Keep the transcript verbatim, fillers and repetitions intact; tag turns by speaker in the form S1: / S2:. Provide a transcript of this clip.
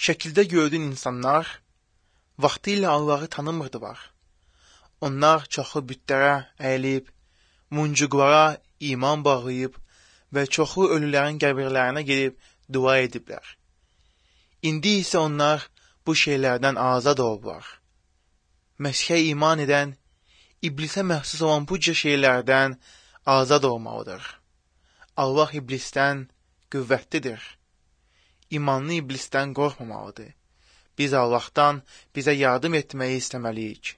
S1: şəkildə gördüyün insanlar vaxtı ilə Allahı tanımırdılar. Onlar çoxu bütlərə əyilib, muncuqlara iman bağlayıb və çoxu ölülərin qəbirlərinə gedib dua ediblər. İndi isə onlar bu şeylərdən azad olublar. Məsihə iman edən, iblisə məxsus olan bu cür şeylərdən azad olmalıdır. Allah iblisdən qüvvətlidir. İmanlı iblisdən qorxmamalıdır. Biz Allahdan bizə yardım etməyi istəməliyik.